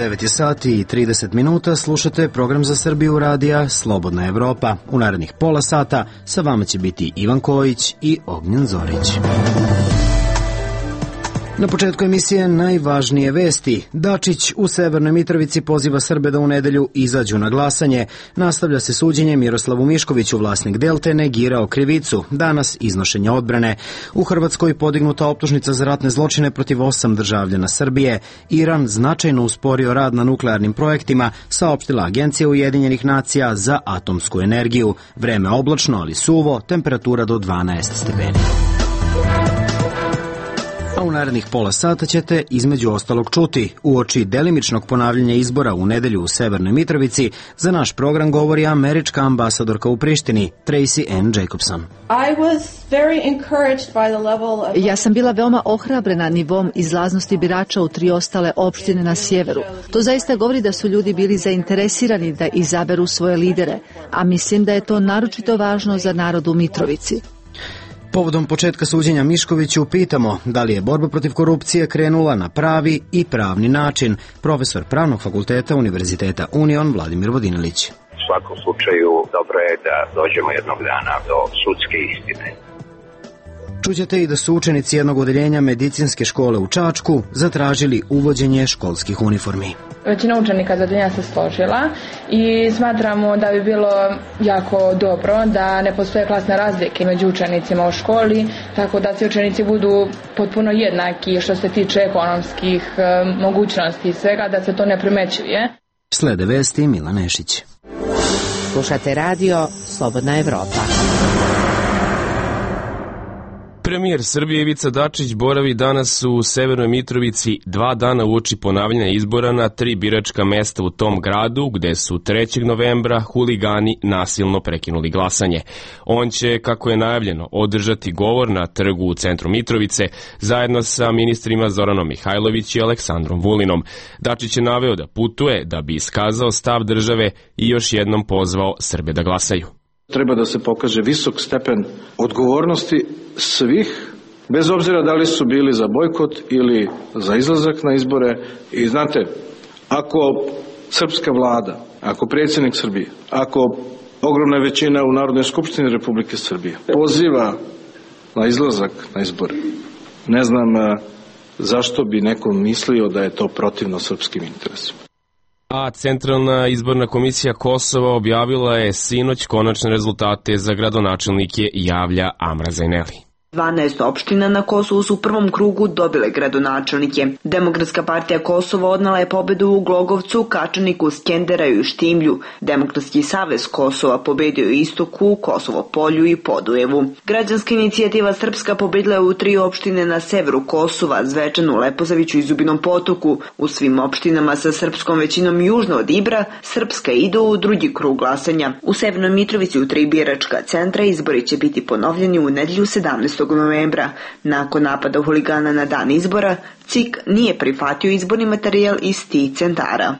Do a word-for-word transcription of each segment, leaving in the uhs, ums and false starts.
devet je sati i trideset minuta, slušate program za Srbiju radija Slobodna Evropa. U narednih pola sata sa vama će biti Ivan Kojić i Ognjen Zorić. Na početku emisije najvažnije vesti. Dačić u Severnoj Mitrovici poziva Srbe da u nedelju izađu na glasanje. Nastavlja se suđenje Miroslavu Miškoviću, vlasnik Delte, negirao krivicu. Danas iznošenje odbrane. U Hrvatskoj podignuta optužnica za ratne zločine protiv osam državljana Srbije. Iran značajno usporio rad na nuklearnim projektima, saopštila Agencija Ujedinjenih nacija za atomsku energiju. Vreme oblačno, ali suvo, temperatura do dvanaest stepeni. A u narednih pola sata ćete između ostalog čuti. Uoči delimičnog ponavljanja izbora u nedelju u Severnoj Mitrovici, za naš program govori američka ambasadorka u Prištini, Tracy Ann Jacobson. Ja sam bila veoma ohrabrena nivom izlaznosti birača u tri ostale opštine na sjeveru. To zaista govori da su ljudi bili zainteresirani da izaberu svoje lidere, a mislim da je to naročito važno za narod u Mitrovici. Povodom početka suđenja Miškoviću pitamo da li je borba protiv korupcije krenula na pravi i pravni način. Profesor Pravnog fakulteta Univerziteta Union Vladimir Vodinelić. U svakom slučaju dobro je da dođemo jednog dana do sudske istine. Čućete i da su učenici jednog odeljenja medicinske škole u Čačku zatražili uvođenje školskih uniformi. Većina učenika za odeljenja se složila i smatramo da bi bilo jako dobro da ne postoje klasne razlike među učenicima u školi, tako da svi učenici budu potpuno jednaki što se tiče ekonomskih mogućnosti i svega, da se to ne primećuje. Slede vesti Mila Nešić. Slušate radio Slobodna Evropa. Premijer Srbije Ivica Dačić boravi danas u Severnoj Mitrovici dva dana uoči ponavljanja izbora na tri biračka mesta u tom gradu, gde su trećeg novembra huligani nasilno prekinuli glasanje. On će, kako je najavljeno, održati govor na trgu u centru Mitrovice zajedno sa ministrima Zoranom Mihajlović i Aleksandrom Vulinom. Dačić je naveo da putuje da bi iskazao stav države i još jednom pozvao Srbe da glasaju. Treba da se pokaže visok stepen odgovornosti svih, bez obzira da li su bili za bojkot ili za izlazak na izbore. I znate, ako srpska vlada, ako predsjednik Srbije, ako ogromna većina u Narodnoj skupštini Republike Srbije poziva na izlazak na izbore, ne znam zašto bi neko mislio da je to protivno srpskim interesima. A Centralna izborna komisija Kosova objavila je sinoć konačne rezultate za gradonačelnike Javlja Amra Zajneli. dvanaest opština na Kosovu su u prvom krugu dobile gradonačelnike. Demokratska partija Kosova odnela je pobedu u Glogovcu, Kačaniku, Skenderaju i Štimlju. Demokratski savez Kosova pobedio je Istoku, Kosovo Polju i Podujevu. Građanska inicijativa Srpska pobedila je u tri opštine na severu Kosova, Zvečanu, Leposaviću i Zubinom Potoku. U svim opštinama sa srpskom većinom južno od Ibra, Srpska ide u drugi krug glasanja. U Severnoj Mitrovici u tri biračka centra izbori će biti ponovljeni u nedelju sedamnaestog novembra. Nakon napada huligana na dan izbora, C I K nije prihvatio izborni materijal iz tih centara.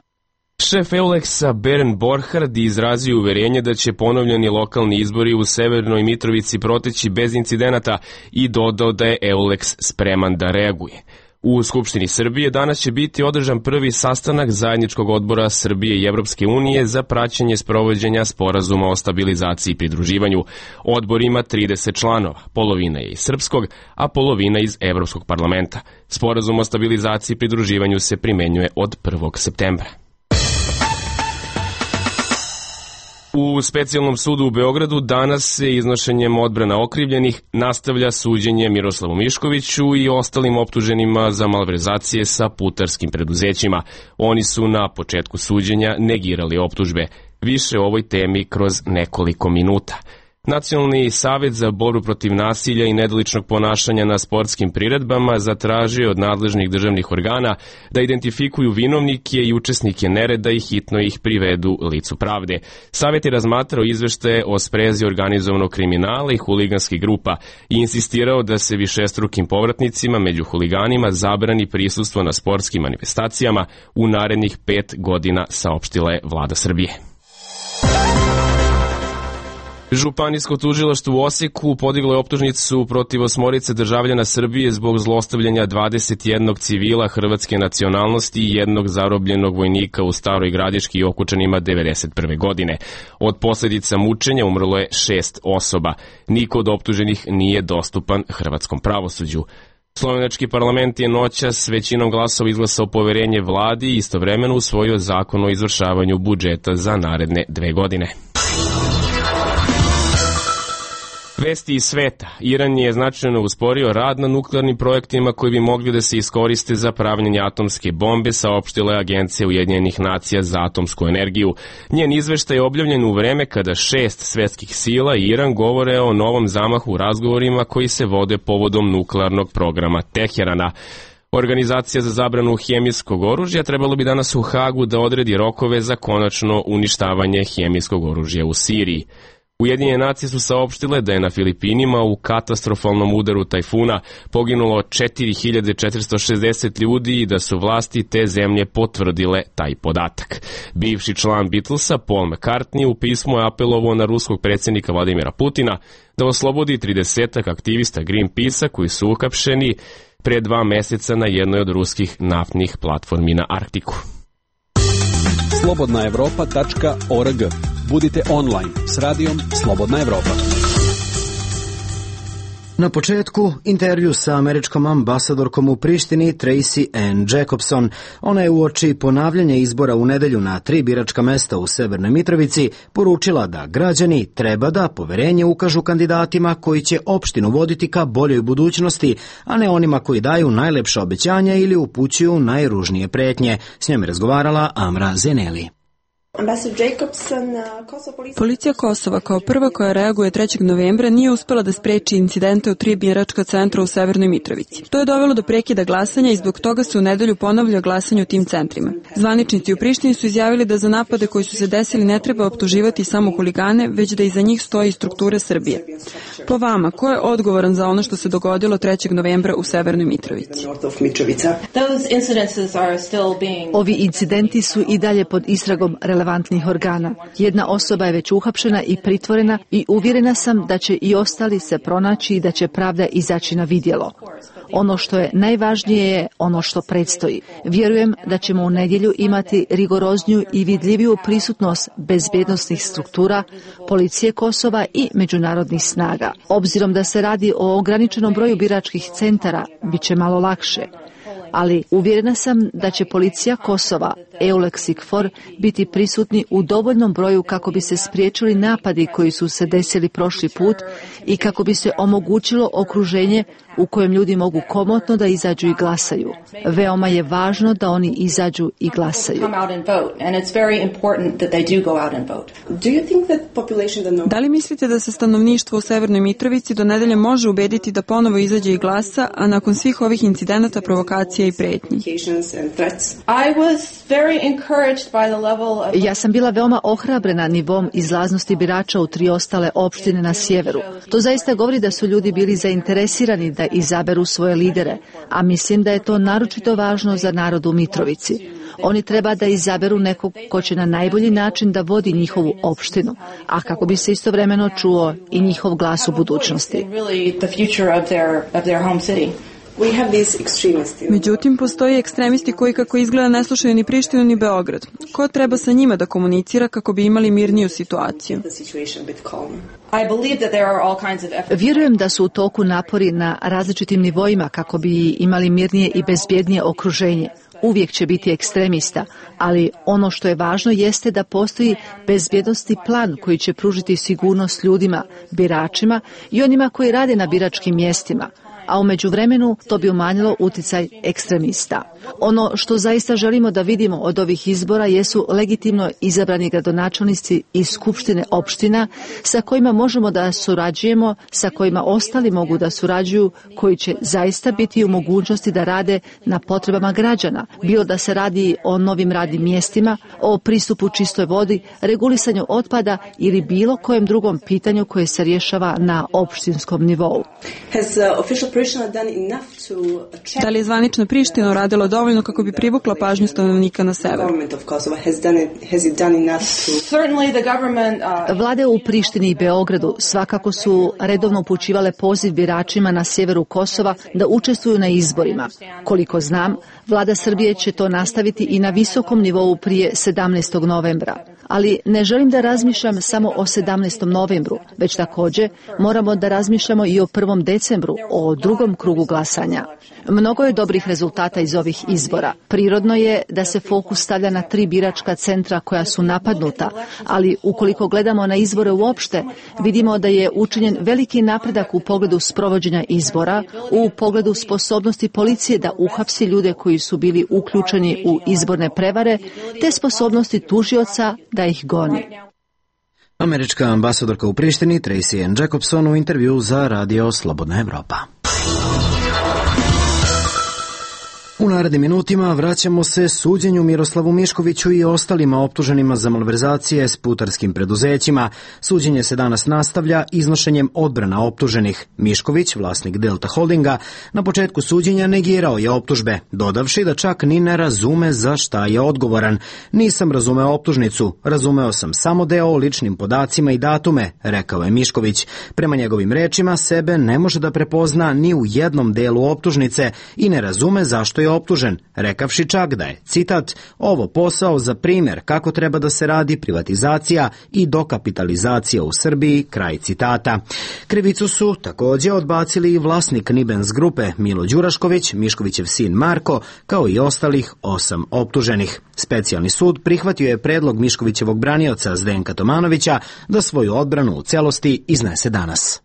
Šef Euleksa Bernd Borchardt izrazio uverenje da će ponovljeni lokalni izbori u Severnoj Mitrovici proteći bez incidenata i dodao da je Euleks spreman da reaguje. U Skupštini Srbije danas će biti održan prvi sastanak zajedničkog odbora Srbije i Evropske unije za praćenje sprovođenja sporazuma o stabilizaciji i pridruživanju. Odbor ima trideset članova, polovina je iz srpskog, a polovina iz Evropskog parlamenta. Sporazum o stabilizaciji i pridruživanju se primenjuje od prvog septembra. U specijalnom sudu u Beogradu danas se iznošenjem odbrana okrivljenih nastavlja suđenje Miroslavu Miškoviću i ostalim optuženima za malverzacije sa putarskim preduzećima. Oni su na početku suđenja negirali optužbe. Više o ovoj temi kroz nekoliko minuta. Nacionalni savet za borbu protiv nasilja i nedoličnog ponašanja na sportskim priredbama zatražio od nadležnih državnih organa da identifikuju vinovnike i učesnike nereda i hitno ih privedu licu pravde. Savet je razmatrao izveštaje o sprezi organizovanog kriminala i huliganskih grupa i insistirao da se višestrukim povratnicima među huliganima zabrani prisustvo na sportskim manifestacijama u narednih pet godina, saopštila je vlada Srbije. Županijsko tužilaštvo u Osijeku podiglo je optužnicu protiv osmorice državljana Srbije zbog zlostavljanja dvadeset jednog civila hrvatske nacionalnosti i jednog zarobljenog vojnika u Staroj Gradiški i Okučanima devedeset prve. godine. Od posljedica mučenja umrlo je šest osoba. Niko od optuženih nije dostupan hrvatskom pravosuđu. Slovenački parlament je noćas većinom glasova izglasao poverenje vladi i istovremeno usvojio zakon o izvršavanju budžeta za naredne dve godine. Vesti iz sveta. Iran je značajno usporio rad na nuklearnim projektima koji bi mogli da se iskoriste za pravljenje atomske bombe, saopštila je Agencija Ujedinjenih nacija za atomsku energiju. Njen izveštaj je objavljen u vreme kada šest svetskih sila i Iran govore o novom zamahu u razgovorima koji se vode povodom nuklearnog programa Teherana. Organizacija za zabranu hemijskog oružja trebalo bi danas u Hagu da odredi rokove za konačno uništavanje hemijskog oružja u Siriji. Ujedinjene nacije su saopštile da je na Filipinima u katastrofalnom udaru tajfuna poginulo četiri hiljade četiristo šezdeset ljudi i da su vlasti te zemlje potvrdile taj podatak. Bivši član Beatlesa Paul McCartney u pismu je apelovao na ruskog predsjednika Vladimira Putina da oslobodi tridesetak aktivista Greenpeace-a koji su uhapšeni pre dva meseca na jednoj od ruskih naftnih platformi na Arktiku. slobodna evropa tačka org. Budite online s radijom Slobodna Evropa. Na početku, intervju sa američkom ambasadorkom u Prištini Tracy Ann Jacobson. Ona je uoči ponavljanja izbora u nedelju na tri biračka mesta u Severnoj Mitrovici poručila da građani treba da poverenje ukažu kandidatima koji će opštinu voditi ka boljoj budućnosti, a ne onima koji daju najlepša obećanja ili upućuju najružnije pretnje. S njom je razgovarala Amra Zeneli. Policija Kosova kao prva koja reaguje trećeg novembra nije uspela da spreči incidente u tri biračka centra u Severnoj Mitrovici. To je dovelo do prekida glasanja i zbog toga se u nedelju ponavlja glasanje u tim centrima. Zvaničnici u Prištini su izjavili da za napade koji su se desili ne treba optuživati samo huligane, već da iza njih stoji struktura Srbije. Po vama, ko je odgovoran za ono što se dogodilo trećeg novembra u Severnoj Mitrovici? Ovi incidenti su i dalje pod istragom relevantnih organa. Jedna osoba je već uhapšena i pritvorena i uvjerena sam da će i ostali se pronaći i da će pravda izaći na vidjelo. Ono što je najvažnije je ono što predstoji. Vjerujem da ćemo u nedjelju imati rigorozniju i vidljiviju prisutnost bezbjednosnih struktura, policije Kosova i međunarodnih snaga. Obzirom da se radi o ograničenom broju biračkih centara, bit će malo lakše. Ali uvjerena sam da će policija Kosova, EULEX i KFOR, biti prisutni u dovoljnom broju kako bi se spriječili napadi koji su se desili prošli put i kako bi se omogućilo okruženje u kojem ljudi mogu komotno da izađu i glasaju. Veoma je važno da oni izađu i glasaju. Da li mislite da se stanovništvo u Severnoj Mitrovici do nedelje može ubediti da ponovo izađe i glasa, a nakon svih ovih incidenata, provokacija i pretnji? Ja sam bila veoma ohrabrena nivom izlaznosti birača u tri ostale opštine na sjeveru. To zaista govori da su ljudi bili zainteresirani da izaberu svoje lidere, a mislim da je to naročito važno za narod u Mitrovici. Oni treba da izaberu nekog ko će na najbolji način da vodi njihovu opštinu, a kako bi se istovremeno čuo i njihov glas u budućnosti. Međutim, postoji ekstremisti koji kako izgleda ne slušaju ni Prištinu ni Beograd. Ko treba sa njima da komunicira kako bi imali mirniju situaciju? Vjerujem da su u toku napori na različitim nivoima kako bi imali mirnije i bezbjednije okruženje. Uvijek će biti ekstremista, ali ono što je važno jeste da postoji bezbjednosni plan koji će pružiti sigurnost ljudima, biračima i onima koji rade na biračkim mjestima, a u međuvremenu to bi umanjilo uticaj ekstremista. Ono što zaista želimo da vidimo od ovih izbora jesu legitimno izabrani gradonačelnici iz skupštine opština sa kojima možemo da surađujemo, sa kojima ostali mogu da surađuju, koji će zaista biti u mogućnosti da rade na potrebama građana, bilo da se radi o novim radnim mjestima, o pristupu čistoj vodi, regulisanju otpada ili bilo kojem drugom pitanju koje se rješava na opštinskom nivou. Da li je zvanična Priština uradila dovoljno kako bi privukla pažnju stanovnika na severu? Vlade u Prištini i Beogradu svakako su redovno upućivale poziv biračima na sjeveru Kosova da učestvuju na izborima. Koliko znam, Vlada Srbije će to nastaviti i na visokom nivou prije sedamnaestog novembra. Ali ne želim da razmišljam samo o sedamnaestom novembru, već također moramo da razmišljamo i o prvom decembru, o drugom krugu glasanja. Mnogo je dobrih rezultata iz ovih izbora. Prirodno je da se fokus stavlja na tri biračka centra koja su napadnuta, ali ukoliko gledamo na izbore uopšte, vidimo da je učinjen veliki napredak u pogledu sprovođenja izbora, u pogledu sposobnosti policije da uhapsi ljude koji su bili uključeni u izborne prevare, te sposobnosti tužioca da ih goni. Američka ambasadorka u Prištini Tracy Ann Jacobson u intervju za radio Slobodna Evropa. U narednim minutima vraćamo se suđenju Miroslavu Miškoviću i ostalima optuženima za malverzacije s putarskim preduzećima. Suđenje se danas nastavlja iznošenjem odbrana optuženih. Mišković, vlasnik Delta Holdinga, na početku suđenja negirao je optužbe, dodavši da čak ni ne razume za šta je odgovoran. Nisam razumeo optužnicu, razumeo sam samo deo o ličnim podacima i datume, rekao je Mišković. Prema njegovim rečima, sebe ne može da prepozna ni u jednom delu optužnice i ne razume zašto je optužen, rekavši čak da je, citat, ovo posao za primjer kako treba da se radi privatizacija i dokapitalizacija u Srbiji, kraj citata. Krivicu su također odbacili i vlasnik Nibens grupe Milo Đurašković, Miškovićev sin Marko, kao i ostalih osam optuženih. Specijalni sud prihvatio je predlog Miškovićevog branioca Zdenka Tomanovića da svoju odbranu u celosti iznese danas.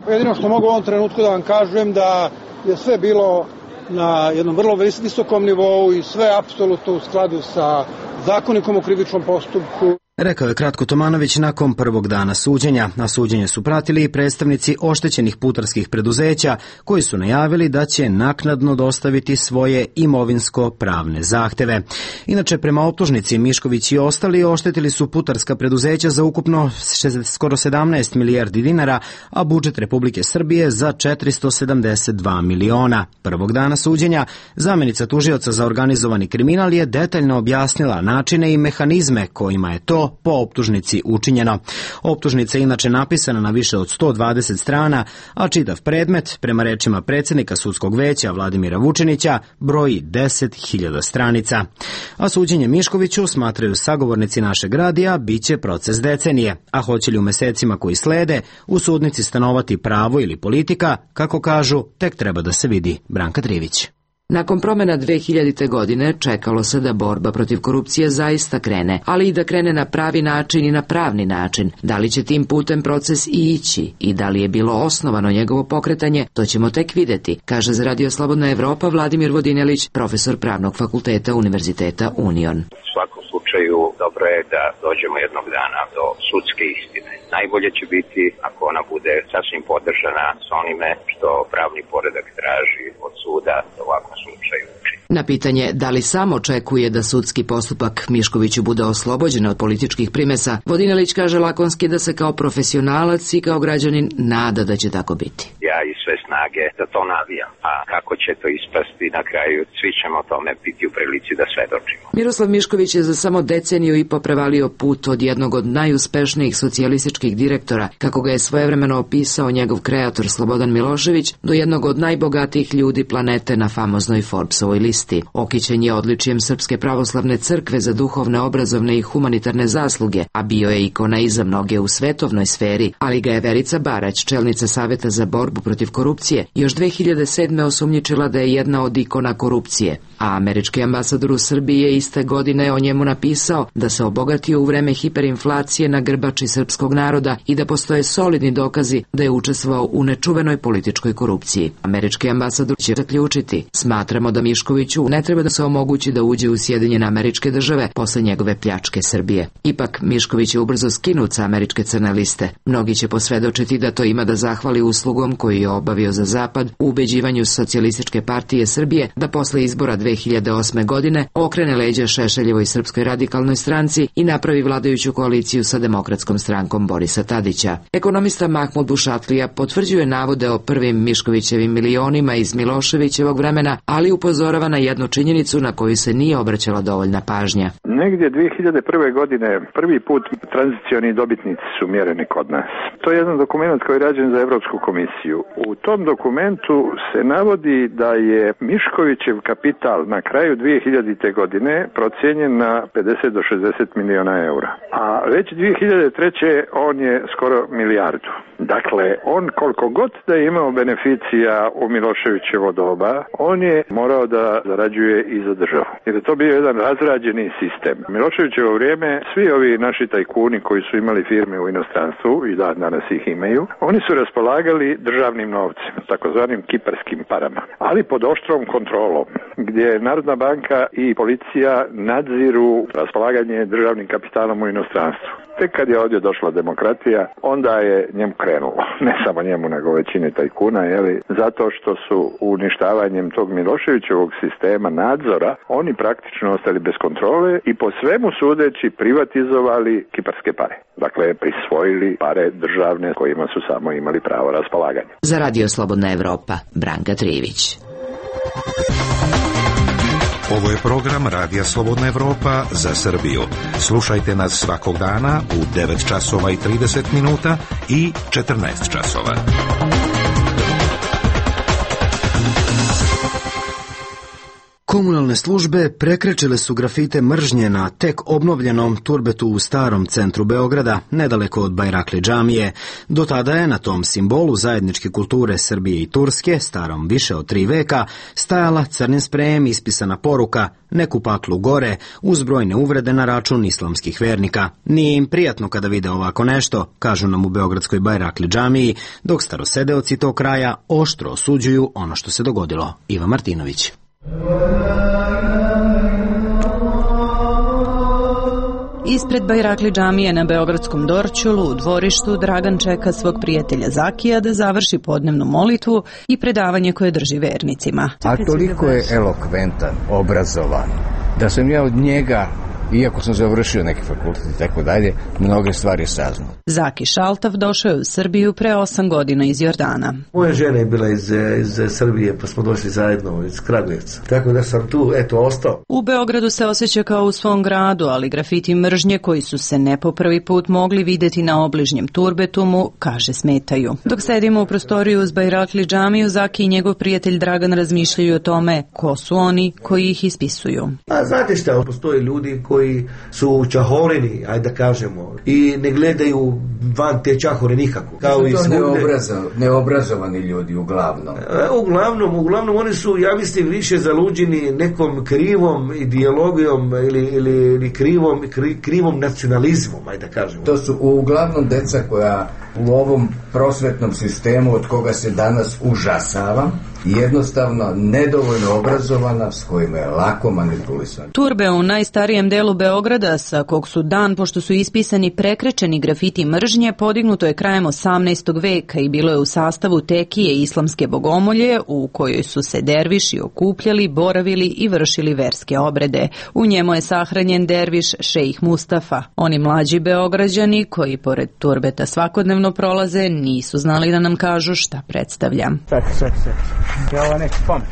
Jedino što mogu u ovom trenutku da vam kažem da je sve bilo na jednom vrlo visokom nivou i sve apsolutno u skladu sa zakonikom o krivičnom postupku. Rekao je kratko Tomanović nakon prvog dana suđenja, a suđenje su pratili i predstavnici oštećenih putarskih preduzeća koji su najavili da će naknadno dostaviti svoje imovinsko-pravne zahteve. Inače, prema optužnici, Mišković i ostali oštetili su putarska preduzeća za ukupno skoro sedamnaest milijardi dinara, a budžet Republike Srbije za četiristo sedamdeset dva miliona. Prvog dana suđenja zamenica tužioca za organizovani kriminal je detaljno objasnila načine i mehanizme kojima je to po optužnici učinjeno. Optužnica je inače napisana na više od sto dvadeset strana, a čitav predmet, prema rečima predsjednika sudskog veća Vladimira Vučinića, broji deset hiljada stranica. A suđenje Miškoviću, smatraju sagovornici našeg radija, bit će proces decenije, a hoće li u mesecima koji slede u sudnici stanovati pravo ili politika, kako kažu, tek treba da se vidi. Branka Trivić. Nakon promjena dve hiljadite. godine čekalo se da borba protiv korupcije zaista krene, ali i da krene na pravi način i na pravni način. Da li će tim putem proces i ići i da li je bilo osnovano njegovo pokretanje, to ćemo tek vidjeti, kaže za Radio Slobodna Evropa Vladimir Vodinelić, profesor Pravnog fakulteta Univerziteta Union. U svakom slučaju dobro je da dođemo jednog dana do sudske istine. Najbolje će biti ako ona bude sasvim podržana s onime što pravni poredak traži od suda da u ovakvom slučaju uči. Na pitanje da li sam očekuje da sudski postupak Miškoviću bude oslobođen od političkih primesa, Vodinelić kaže lakonski da se kao profesionalac i kao građanin nada da će tako biti. Ja i sve snage da to navijam, a kako će to ispasti na kraju, svi ćemo o tome biti u prilici da svedočimo. Miroslav Mišković je za samo deceniju i po prevalio put od jednog od najuspešnijih socijalističkih direktora, kako ga je svojevremeno opisao njegov kreator Slobodan Milošević, do jednog od najbogatijih ljudi planete na famoznoj Forbesovoj listi. Okićen je odličjem Srpske pravoslavne crkve za duhovne, obrazovne i humanitarne zasluge, a bio je ikona i za mnoge u svetovnoj sferi, ali ga je Verica Barać, čelnica Saveta za borbu protiv korupcije, još dve hiljade sedme. osumnjičila da je jedna od ikona korupcije, a američki ambasador u Srbiji je iste godine o njemu napisao da se obogatio u vreme hiperinflacije na grbači srpskog naroda i da postoje solidni dokazi da je učestvovao u nečuvenoj političkoj korupciji. Američki ambasador će zaključiti: smatramo da Miškoviću ne treba da se omogući da uđe u Sjedinjene Američke Države posle njegove pljačke Srbije. Ipak, Mišković je ubrzo skinut sa američke crne liste. Mnogi će posvedočiti da to ima da zahvali uslugom koju je obavio obavio za Zapad u ubeđivanju Socijalističke partije Srbije da posle izbora dve hiljade osme godine okrene leđa Šešeljevoj Srpskoj radikalnoj stranci i napravi vladajuću koaliciju sa Demokratskom strankom Borisa Tadića. Ekonomista Mahmud Bušatlija potvrđuje navode o prvim Miškovićevim milionima iz Miloševićevog vremena, ali upozorava na jednu činjenicu na koju se nije obraćala dovoljna pažnja. Negdje dve hiljade prve. godine prvi put tranzicioni dobitnici su mjereni kod nas. To je jedan dokument koji je rađen za Evropsku komisiju. U tom dokumentu se navodi da je Miškovićev kapital na kraju dve hiljadite. godine procijenjen na pedeset do šezdeset miliona eura. A već dve hiljade treće. on je skoro milijardu. Dakle, on koliko god da je imao beneficija u Miloševićevo doba, on je morao da zarađuje i za državu. Jer je to bio jedan razrađeni sistem. Miloševićevo vrijeme, svi ovi naši tajkuni koji su imali firme u inostranstvu i da danas ih imaju, oni su raspolagali državnim novcem, takozvanim kiparskim parama, ali pod oštrom kontrolom, gdje Narodna banka i policija nadziru raspolaganje državnim kapitalom u inostranstvu. Tek kad je ovdje došla demokratija, onda je njemu krenulo. Ne samo njemu, nego većini tajkuna, jeli, zato što su uništavanjem tog Miloševićevog sistema nadzora, oni praktično ostali bez kontrole i po svemu sudeći privatizovali kiparske pare. Dakle, prisvojili pare državne kojima su samo imali pravo raspolaganja. Za Radio Slobodna Evropa, Branka Trivić. Ovo je program Radija Slobodna Evropa za Srbiju. Slušajte nas svakog dana u devet časova i trideset minuta i četrnaest časova. Komunalne službe prekrečile su grafite mržnje na tek obnovljenom turbetu u starom centru Beograda, nedaleko od Bajrakli džamije. Do tada je na tom simbolu zajedničke kulture Srbije i Turske, starom više od tri veka, stajala crnim sprejem ispisana poruka "Neku paklu gore", uz brojne uvrede na račun islamskih vernika. Nije im prijatno kada vide ovako nešto, kažu nam u Beogradskoj Bajrakli džamiji, dok starosedeoci tog kraja oštro osuđuju ono što se dogodilo. Iva Martinović. Ispred Bajrakli džamije na Beogradskom Dorćolu u dvorištu Dragan čeka svog prijatelja Zakija da završi podnevnu molitvu i predavanje koje drži vernicima. A toliko je elokventan, obrazovan, da sam ja od njega, iako sam završio neki fakultet i tako dalje, mnoge stvari saznao. Zaki Šaltav došao je u Srbiju pre osam godina iz Jordana. Moja žena je bila iz, iz Srbije, pa smo došli zajedno iz Kragujevca. Tako da sam tu, eto, ostao. U Beogradu se osjeća kao u svom gradu, ali grafiti mržnje koji su se ne po prvi put mogli videti na obližnjem turbetumu, kaže, smetaju. Dok sedimo u prostoriju uz Bajrakli džamiju, Zaki i njegov prijatelj Dragan razmišljaju o tome ko su oni koji ih ispisuju. A znate šta, postoje ljudi koji su čahoreni, ajde da kažemo, i ne gledaju van te čahore nikako. Kao i svugde. Neobrazov, neobrazovani ljudi uglavnom. E, uglavnom, uglavnom oni su, ja mislim, više zaluđeni nekom krivom ideologijom ili, ili, ili krivom, kri, krivom nacionalizmom, ajde da kažemo. To su uglavnom deca koja u ovom prosvetnom sistemu od koga se danas užasava, jednostavno nedovoljno obrazovana, s kojima je lako manipulisana. Turbe u najstarijem delu Beograda, sa kog su dan, pošto su ispisani prekrečeni grafiti mržnje, podignuto je krajem osamnaestog veka i bilo je u sastavu tekije islamske bogomolje, u kojoj su se derviši okupljali, boravili i vršili verske obrede. U njemu je sahranjen derviš šejih Mustafa. Oni mlađi Beograđani, koji pored turbeta svakodnevno prolaze, nisu znali da nam kažu šta predstavlja. Čekaj, čekaj, čekaj. Ja ovo neki spomen.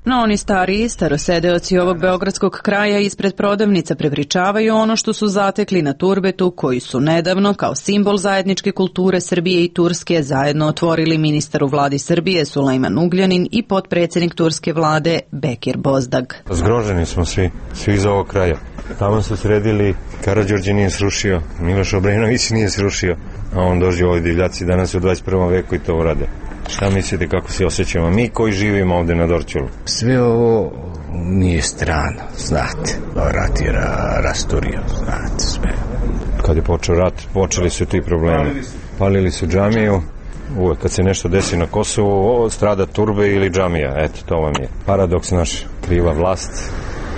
No oni stariji, starosedeoci ovog beogradskog kraja ispred prodavnica prepričavaju ono što su zatekli na turbetu, koji su nedavno, kao simbol zajedničke kulture Srbije i Turske, zajedno otvorili ministar u vladi Srbije Sulejman Ugljanin i potpredsjednik turske vlade Bekir Bozdag. Zgroženi smo svi, svi iz ovog kraja. Tamo su sredili, Karađorđe nije srušio, Miloš Obrenović nije srušio, a on dođe ovoj divljaci danas u dvadeset prvom veku i to urade. Šta mislite, kako se osjećamo mi koji živimo ovde na Dorćolu? Sve ovo nije strano, znate. Rat je ra, rasturio, znate sve. Kad je počeo rat, počeli su ti problemi. Palili su džamiju, uvek kad se nešto desi na Kosovu, o, strada turbe ili džamija, eto, to vam je. Paradoks naš, kriva vlast,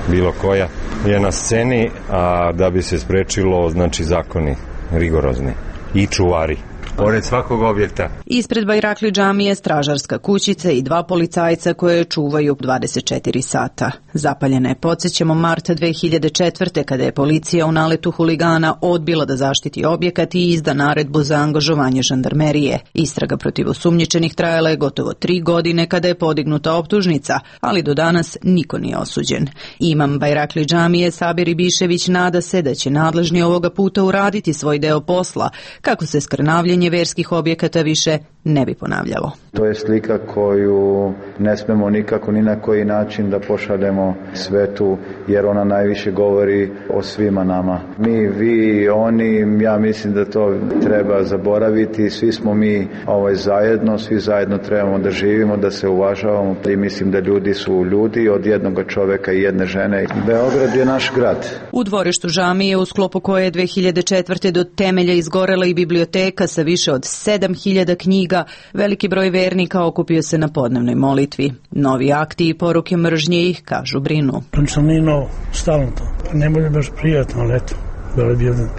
bilo koja, je na sceni, a da bi se sprečilo, znači, zakoni rigorozni i čuvari. pored svakog objekta. Ispred Bajrakli džamije stražarska kućica i dva policajca koje čuvaju dvadeset četiri sata. Zapaljena je, podsjećamo, marta dve hiljade četvrte kada je policija u naletu huligana odbila da zaštiti objekat i izda naredbu za angažovanje žandarmerije. Istraga protiv osumnjičenih trajala je gotovo tri godine kada je podignuta optužnica, ali do danas niko nije osuđen. Imam Bajrakli džamije Sabir Ibišević nada se da će nadležni ovoga puta uraditi svoj deo posla, kako se skrnavljenje verskih objekata više ne bi ponavljalo. To je slika koju ne smemo nikako ni na koji način da pošaljemo svetu, jer ona najviše govori o svima nama. Mi, vi, oni, ja mislim da to treba zaboraviti. Svi smo mi ovaj, zajedno, svi zajedno trebamo da živimo, da se uvažavamo i mislim da ljudi su ljudi od jednog čoveka i jedne žene. Beograd je naš grad. U dvorištu džamije, u sklopu koje je dve hiljade četvrte do temelja izgorela i biblioteka sa više od sedam hiljada knjiga, veliki broj vernika okupio se na podnevnoj molitvi. Novi akti i poruke mržnje ih, kažu, brinu. To nije novo, stalno to. Ne bude baš prijatno, ali eto, bilo bi jedan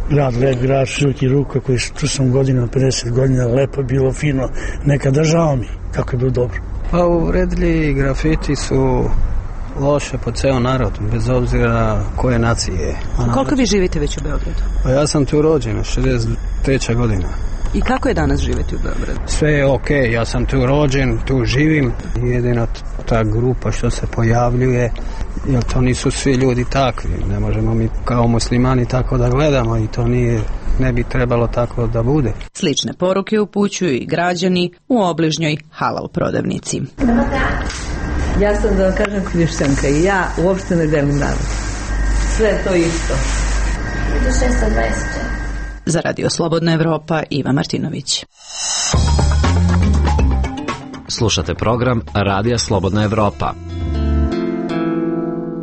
grad, lep grad, široki ruka koji tu sam godina, pedeset godina, lepo bilo, fino. Neka država mi, kako je bilo dobro. Pa uredili grafiti su loše po ceo narod, bez obzira koje nacije je. A koliko vi živite već u Beogradu? Pa ja sam tu rođen, šezdeset treća godina. I kako je danas živjeti u Beogradu? Sve je okej, okay. Ja sam tu rođen, tu živim. Jedina ta grupa što se pojavljuje, jer to nisu svi ljudi takvi. Ne možemo mi kao muslimani tako da gledamo i to nije, ne bi trebalo tako da bude. Slične poruke upućuju i građani u obližnjoj halal prodavnici. Ja sam, da vam kažem, hrišćanka i ja uopšte ne delim narod. Sve je to isto. šesto dvadeset četiri. Za Radio Slobodna Evropa, Iva Martinović. Slušate program Radija Slobodna Evropa.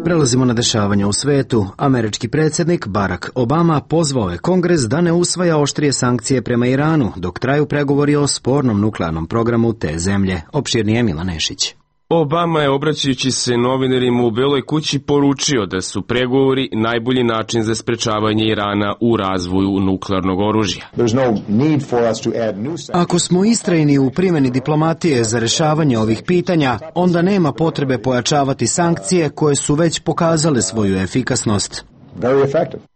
Prelazimo na dešavanja u svetu. Američki predsjednik Barack Obama pozvao je Kongres da ne usvaja oštrije sankcije prema Iranu, dok traju pregovori o spornom nuklearnom programu te zemlje. Opširnije Mila Nešić. Obama je, obraćajući se novinarima u Beloj kući, poručio da su pregovori najbolji način za sprečavanje Irana u razvoju nuklearnog oružja. Ako smo istrajni u primjeni diplomatije za rešavanje ovih pitanja, onda nema potrebe pojačavati sankcije koje su već pokazale svoju efikasnost.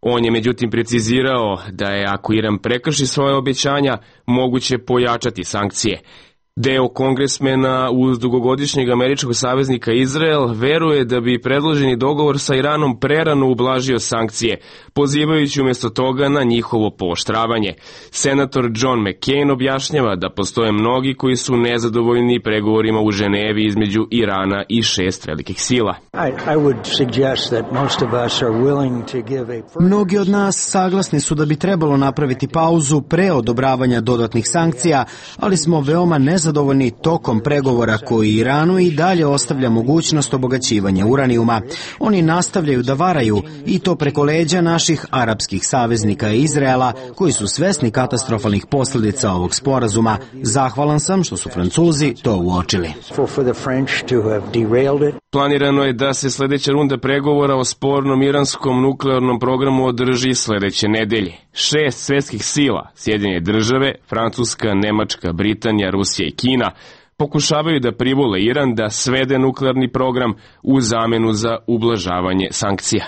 On je međutim precizirao da je, ako Iran prekrši svoje obećanja, moguće pojačati sankcije. Deo kongresmena uz dugogodišnjeg američkog saveznika Izrael veruje da bi predloženi dogovor sa Iranom prerano ublažio sankcije, pozivajući umjesto toga na njihovo pooštravanje. Senator John McCain objašnjava da postoje mnogi koji su nezadovoljni pregovorima u Ženevi između Irana i šest velikih sila. Mnogi od nas saglasni su da bi trebalo napraviti pauzu pre odobravanja dodatnih sankcija, ali smo veoma nezadovoljni zadovoljni tokom pregovora koji Iranu i dalje ostavlja mogućnost obogaćivanja uranijuma. Oni nastavljaju da varaju i to preko leđa naših arapskih saveznika i Izraela, koji su svesni katastrofalnih posljedica ovog sporazuma. Zahvalan sam što su Francuzi to uočili. Planirano je da se sljedeća runda pregovora o spornom iranskom nuklearnom programu održi sljedeće nedelje. Šest svjetskih sila, Sjedinjene države, Francuska, Nemačka, Britanija, Rusija i Kina, pokušavaju da privole Iran da svede nuklearni program u zamenu za ublažavanje sankcija.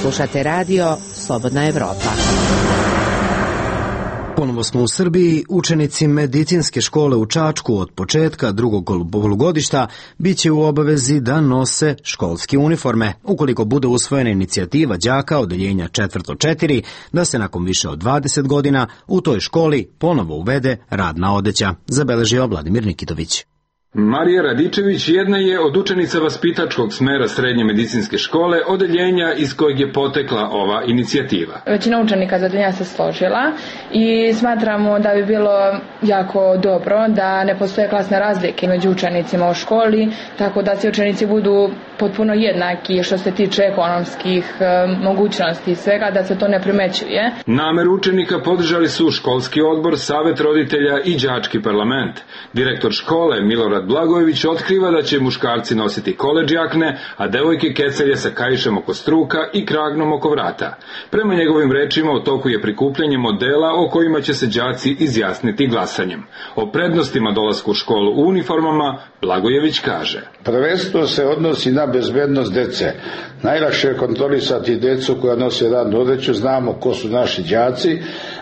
Slušate radio Slobodna Evropa. Ponovo smo u Srbiji. Učenici medicinske škole u Čačku od početka drugog polugodišta bit će u obavezi da nose školske uniforme, ukoliko bude usvojena inicijativa đaka odeljenja četvrto četiri da se nakon više od dvadeset godina u toj školi ponovo uvede radna odeća, zabeležio Vladimir Nikitović. Marija Radičević jedna je od učenica vaspitačkog smera srednje medicinske škole, odeljenja iz kojeg je potekla ova inicijativa. Većina učenika za odeljenja se složila i smatramo da bi bilo jako dobro da ne postoje klasne razlike među učenicima u školi, tako da svi učenici budu potpuno jednaki što se tiče ekonomskih mogućnosti i svega, da se to ne primećuje. Nameru učenika podržali su školski odbor, savet roditelja i đački parlament. Direktor škole Milorad Milorad Blagojević otkriva da će muškarci nositi koledž jakne, a devojke kecelje sa kaišem oko struka i kragnom oko vrata. Prema njegovim rečima u toku je prikupljanje modela o kojima će se đaci izjasniti glasanjem. O prednostima dolaska u školu u uniformama Blagojević kaže: Prvenstveno se odnosi na bezbednost dece. Najlakše je kontrolisati decu koja nose radnu odeću, znamo ko su naši đaci.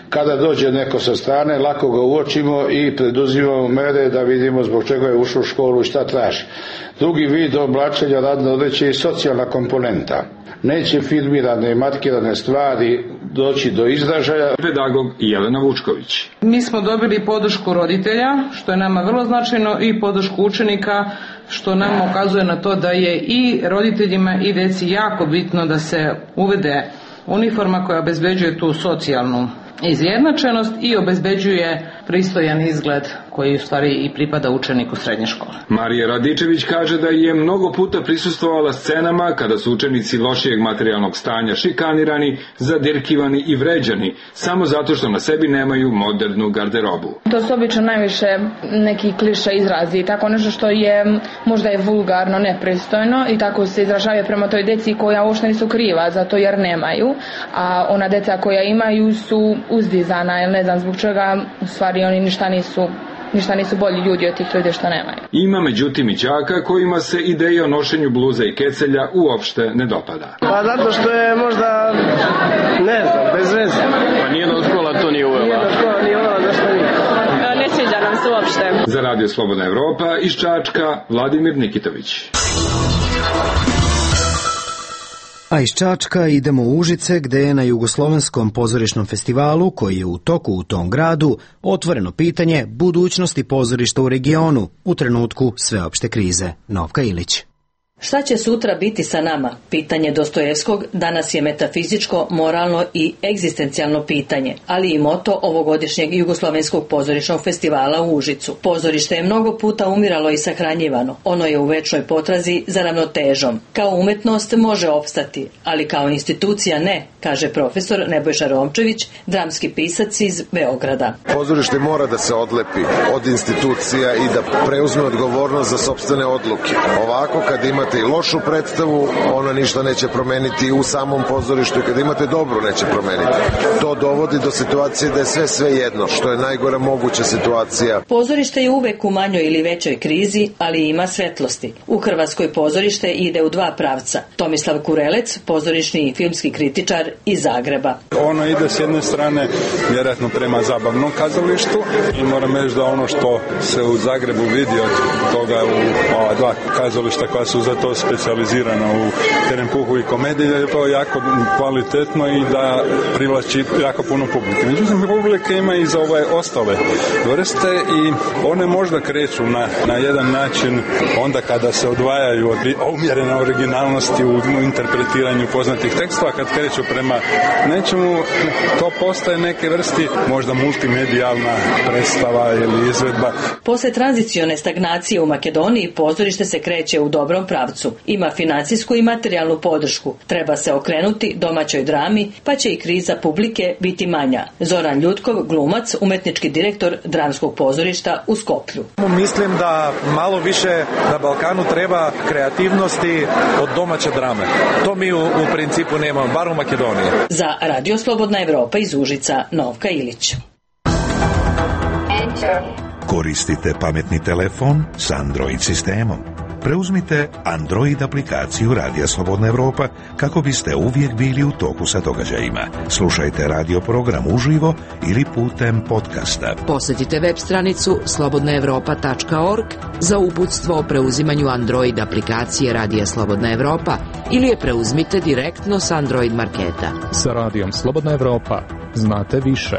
Kada dođe neko sa strane, lako ga uočimo i preduzimamo mere da vidimo zbog čega je ušao u školu i šta traži. Drugi vid oblačenja radne odeće je socijalna komponenta. Neće filmirane i markirane stvari doći do izražaja. Pedagog Jelena Vučković. Mi smo dobili podršku roditelja, što je nama vrlo značajno, i podršku učenika, što nam ukazuje na to da je i roditeljima i deci jako bitno da se uvede uniforma koja obezbeđuje tu socijalnu izjednačenost i obezbeđuje pristojan izgled koji u stvari i pripada učeniku srednje škole. Marija Radičević kaže da je mnogo puta prisustvovala scenama kada su učenici lošijeg materijalnog stanja šikanirani, zadirkivani i vređani, samo zato što na sebi nemaju modernu garderobu. To su obično najviše neki kliše izrazi, tako nešto što je možda je vulgarno, nepristojno, i tako se izražavaju prema toj deci koja uopšte nisu kriva zato jer nemaju, a ona deca koja imaju su uzdizana, jer ne znam zbog čega, u stvari oni ništa nisu ništa nisu bolji ljudi od tih ljudi što nemaju. Ima međutim i đaka kojima se ideja o nošenju bluza i kecelja uopšte ne dopada. Pa zato što je možda, ne znam, bez veze. Pa nije da škola to nije uvela. Nije da škola nije uvela, zašto nije? Ne sviđa nam se uopšte. Za Radio Slobodna Evropa iz Čačka, Vladimir Nikitović. A iz Čačka idemo u Užice, gde je na Jugoslovenskom pozorišnom festivalu, koji je u toku u tom gradu, otvoreno pitanje budućnosti pozorišta u regionu u trenutku sveopšte krize. Novka Ilić. Šta će sutra biti sa nama? Pitanje Dostojevskog danas je metafizičko, moralno i egzistencijalno pitanje, ali i moto ovogodišnjeg Jugoslovenskog pozorišnog festivala u Užicu. Pozorište je mnogo puta umiralo i sahranjivano. Ono je u večnoj potrazi za ravnotežom. Kao umetnost može opstati, ali kao institucija ne, kaže profesor Nebojša Romčević, dramski pisac iz Beograda. Pozorište mora da se odlepi od institucija i da preuzme odgovornost za sopstvene odluke. Ovako, kad imate i lošu predstavu, ona ništa neće promeniti u samom pozorištu, i kad imate dobru neće promeniti. To dovodi do situacije da je sve sve jedno, što je najgora moguća situacija. Pozorište je uvek u manjoj ili većoj krizi, ali ima svetlosti. U Hrvatskoj pozorište ide u dva pravca. Tomislav Kurelec, pozorišni i filmski kritičar iz Zagreba. Ono ide s jedne strane vjerojatno prema zabavnom kazalištu i moram reći da ono što se u Zagrebu vidi od toga u ova dva kazališta koja su za to specijalizirana u Terempuhu i komediji, je to jako kvalitetno i da privlači jako puno publike. Međutim, publike ima i za ove ostale vrste i one možda kreću na, na jedan način onda kada se odvajaju od umjerene originalnosti u interpretiranju poznatih tekstova, kad kreću prema nečemu, to postaje neke vrsti možda multimedijalna predstava ili izvedba. Posle tranzicione stagnacije u Makedoniji pozorište se kreće u dobrom pravcu. Ima financijsku i materijalnu podršku. Treba se okrenuti domaćoj drami, pa će i kriza publike biti manja. Zoran Ljutkov, glumac, umetnički direktor dramskog pozorišta u Skoplju. Mislim da malo više na Balkanu treba kreativnosti od domaće drame. To mi u, u principu nemamo, bar u Makedoniji. Za Radio Slobodna Evropa iz Užica, Novka Ilić. Koristite pametni telefon s Android sistemom. Preuzmite Android aplikaciju Radija Slobodna Evropa kako biste uvijek bili u toku sa događajima. Slušajte radio program uživo ili putem podcasta. Posjetite web stranicu slobodna evropa tačka org za uputstvo o preuzimanju Android aplikacije Radija Slobodna Evropa ili je preuzmite direktno s Android marketa. Sa Radijom Slobodna Evropa znate više.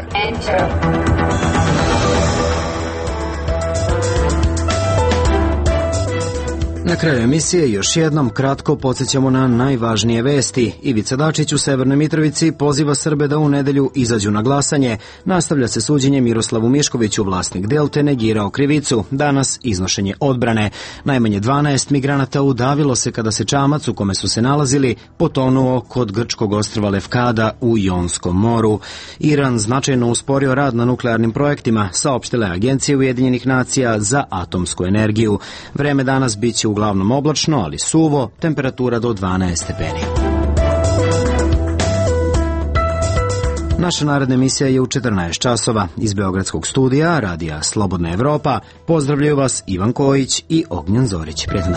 Na Na kraju emisije još jednom kratko podsjećamo na najvažnije vesti. Ivica Dačić u Severnoj Mitrovici poziva Srbe da u nedelju izađu na glasanje. Nastavlja se suđenje Miroslavu Miškoviću, vlasnik Delte negirao krivicu. Danas iznošenje odbrane. Najmanje dvanaest migranata udavilo se kada se čamac u kome su se nalazili potonuo kod grčkog ostrva Lefkada u Jonskom moru. Iran značajno usporio rad na nuklearnim projektima, saopštile agencije Ujedinjenih nacija za atomsku energiju. Vreme danas biće uglavnom oblačno, ali suvo, temperatura do dvanaest stepeni. Naša naredna emisija je u četrnaest časova. Iz Beogradskog studija Radija Slobodna Evropa pozdravljaju vas Ivan Kojić i Ognjen Zorić. Prijatno.